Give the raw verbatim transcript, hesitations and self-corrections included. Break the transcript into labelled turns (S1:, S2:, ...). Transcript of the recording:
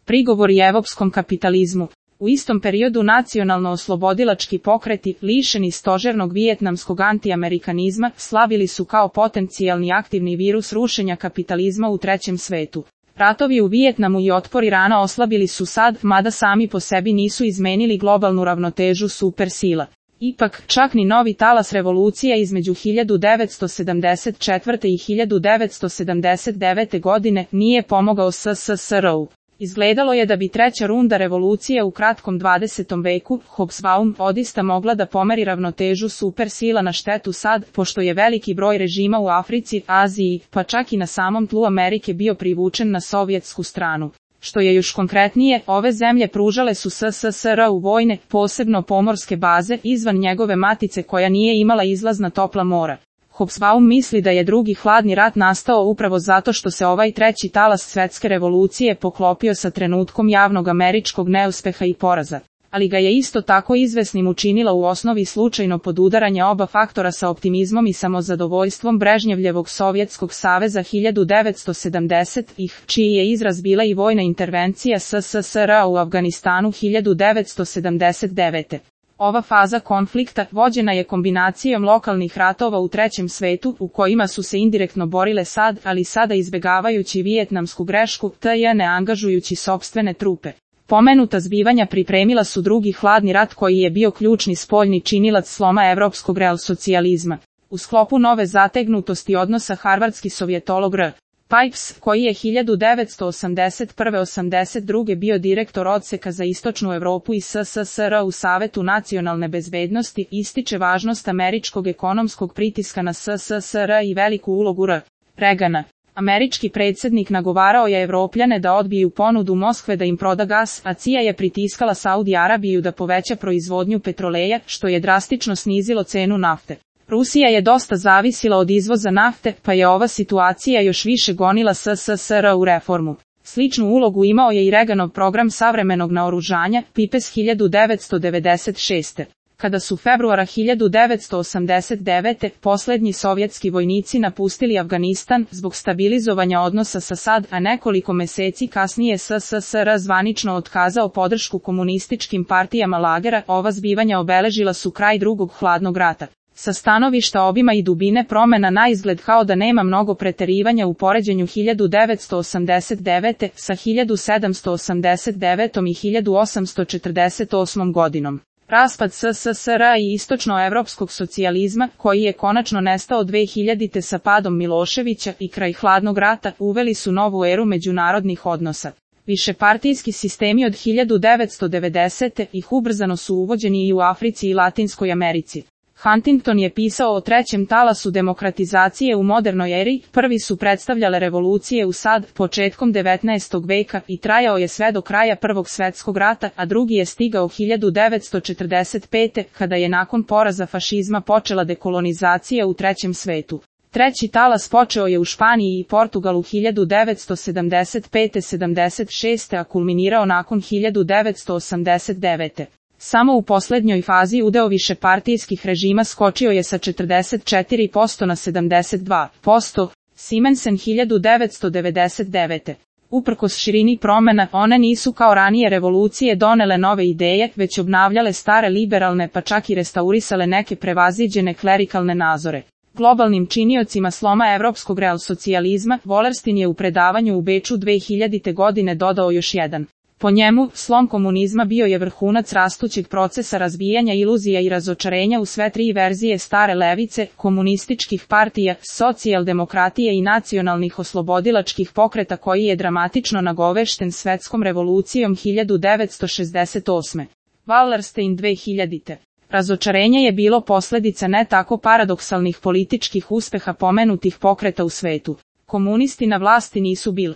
S1: Prigovori evropskom kapitalizmu. U istom periodu nacionalno-oslobodilački pokreti, lišeni stožernog vijetnamskog antiamerikanizma, slavili su kao potencijalni aktivni virus rušenja kapitalizma u trećem svetu. Ratovi u Vijetnamu i otpor Irana oslabili su SAD, mada sami po sebi nisu izmenili globalnu ravnotežu supersila. Ipak, čak ni novi talas revolucija između hiljadu devetsto sedamdeset četvrte. i hiljadu devetsto sedamdeset devete. godine nije pomogao S S S R-u. Izgledalo je da bi treća runda revolucije u kratkom dvadesetom veku, Hobsbawm, odista mogla da pomeri ravnotežu supersila na štetu SAD, pošto je veliki broj režima u Africi, Aziji, pa čak i na samom tlu Amerike bio privučen na sovjetsku stranu. Što je još konkretnije, ove zemlje pružale su S S S R-u vojne, posebno pomorske baze, izvan njegove matice koja nije imala izlaz na topla mora. Hobsbawm misli da je drugi hladni rat nastao upravo zato što se ovaj treći talas svetske revolucije poklopio sa trenutkom javnog američkog neuspeha i poraza. Ali ga je isto tako izvesnim učinila u osnovi slučajno podudaranje oba faktora sa optimizmom i samozadovoljstvom Brežnjevljevog Sovjetskog saveza hiljadu devetsto sedamdesetih, čiji je izraz bila i vojna intervencija S S S R-a u Afganistanu hiljadu devetsto sedamdeset devete. Ova faza konflikta vođena je kombinacijom lokalnih ratova u trećem svetu, u kojima su se indirektno borile SAD, ali sada izbegavajući vijetnamsku grešku, te ne angažujući sopstvene trupe. Pomenuta zbivanja pripremila su drugi hladni rat koji je bio ključni spoljni činilac sloma evropskog realsocijalizma. U sklopu nove zategnutosti odnosa harvardski sovjetolog R. Pipes, koji je hiljadu devetsto osamdeset prve do osamdeset druge bio direktor odseka za istočnu Evropu i S S S R u Savetu nacionalne bezbednosti, ističe važnost američkog ekonomskog pritiska na S S S R i veliku ulogu R. Reagana. Američki predsjednik nagovarao je Evropljane da odbiju ponudu Moskve da im proda gas, a C I A je pritiskala Saudi Arabiju da poveća proizvodnju petroleja, što je drastično snizilo cenu nafte. Rusija je dosta zavisila od izvoza nafte, pa je ova situacija još više gonila S S S R u reformu. Sličnu ulogu imao je i Reaganov program savremenog naoružanja, Pipes hiljadu devetsto devedeset šeste. Kada su februara hiljadu devetsto osamdeset devete. posljednji sovjetski vojnici napustili Afganistan zbog stabilizovanja odnosa sa SAD, a nekoliko meseci kasnije S S S R zvanično otkazao podršku komunističkim partijama lagera, ova zbivanja obeležila su kraj drugog hladnog rata. Sa stanovišta obima i dubine promena na izgled kao da nema mnogo preterivanja u poređenju hiljadu devetsto osamdeset devete. sa hiljadu sedamsto osamdeset devetom i hiljadu osamsto četrdeset osmom godinom. Raspad S S S R-a i istočnoevropskog socijalizma, koji je konačno nestao dve hiljadite sa padom Miloševića i kraj hladnog rata, uveli su novu eru međunarodnih odnosa. Višepartijski sistemi od hiljadu devetsto devedesete. ih ubrzano su uvođeni i u Africi i Latinskoj Americi. Huntington je pisao o trećem talasu demokratizacije u modernoj eri, prvi su predstavljale revolucije u SAD početkom devetnaestog veka i trajao je sve do kraja Prvog svjetskog rata, a drugi je stigao hiljadu devetsto četrdeset pete. kada je nakon poraza fašizma počela dekolonizacija u trećem svetu. Treći talas počeo je u Španiji i Portugalu hiljadu devetsto sedamdeset pete do sedamdeset šeste. a kulminirao nakon hiljadu devetsto osamdeset devete. Samo u posljednjoj fazi udeo višepartijskih režima skočio je sa četrdeset četiri posto na sedamdeset dva posto. Simensen hiljadu devetsto devedeset devete. Uprkos širini promena, one nisu kao ranije revolucije donele nove ideje, već obnavljale stare liberalne pa čak i restaurisale neke prevaziđene klerikalne nazore. Globalnim činiocima sloma evropskog realsocijalizma, Wallerstein je u predavanju u Beču dve hiljadite. godine dodao još jedan. Po njemu, slom komunizma bio je vrhunac rastućeg procesa razbijanja iluzija i razočarenja u sve tri verzije stare levice, komunističkih partija, socijaldemokratije i nacionalnih oslobodilačkih pokreta koji je dramatično nagovešten svetskom revolucijom hiljadu devetsto šezdeset osme. Wallerstein dve hiljadite. Razočarenje je bilo posljedica ne tako paradoksalnih političkih uspeha pomenutih pokreta u svetu. Komunisti na vlasti nisu bili